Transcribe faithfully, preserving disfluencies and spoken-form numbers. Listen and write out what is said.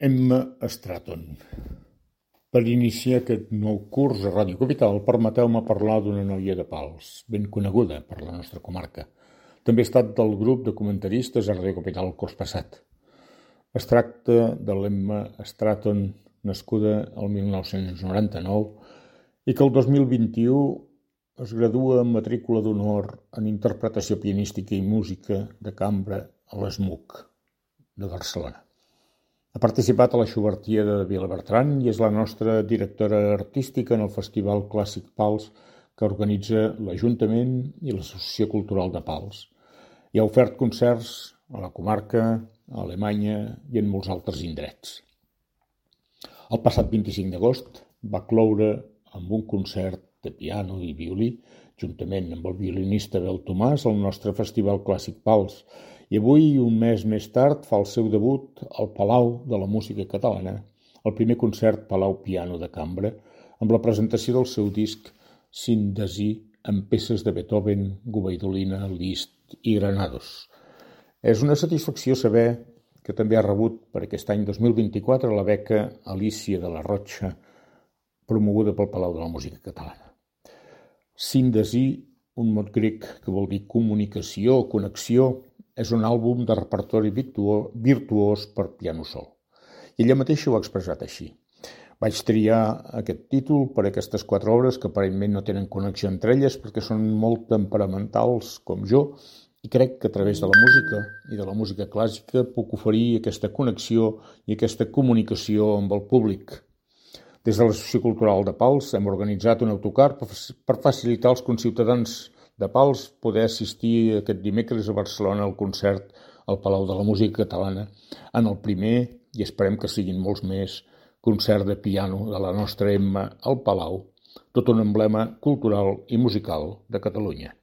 Emma Stratton. Per iniciar aquest nou curs a Ràdio Capital, permeteu-me parlar d'una noia de Pals, ben coneguda per la nostra comarca. També ha estat del grup de comentaristes a Ràdio Capital el curs passat. Es tracta de l'Emma Stratton, nascuda el mil nou-cents noranta-nou, i que el dos mil vint-i-u es gradua amb matrícula d'honor en interpretació pianística i música de cambra a l'E S M U C de Barcelona. Ha participat a la Schubertiada de Vilabertran i és la nostra directora artística en el Festival Clàssic Pals que organitza l'Ajuntament i l'Associació Cultural de Pals. I ha ofert concerts a la comarca, a Alemanya i en molts altres indrets. El passat vint-i-cinc d'agost va cloure amb un concert de piano i violí, juntament amb el violinista Abel Tomàs, al nostre Festival Clàssic Pals. I avui, un mes més tard, fa el seu debut al Palau de la Música Catalana, el primer concert Palau Piano de Cambra, amb la presentació del seu disc Síntesi amb peces de Beethoven, Gubaidulina, Liszt i Granados. És una satisfacció saber que també ha rebut per aquest any dos mil vint-i-quatre la beca Alícia de la Rocha, promoguda pel Palau de la Música Catalana. Síntesi, un mot grec que vol dir comunicació o connexió, és un àlbum de repertori virtuós per piano sol. I ella mateixa ho ha expressat així. Vaig triar aquest títol per aquestes quatre obres que aparentment no tenen connexió entre elles perquè són molt temperamentals com jo i crec que a través de la música i de la música clàssica puc oferir aquesta connexió i aquesta comunicació amb el públic. Des de l'Associació Cultural de Pals hem organitzat un autocar per facilitar als conciutadans de Pals poder assistir aquest dimecres a Barcelona al concert al Palau de la Música Catalana en el primer, i esperem que siguin molts més, concert de piano de la nostra Emma al Palau, tot un emblema cultural i musical de Catalunya.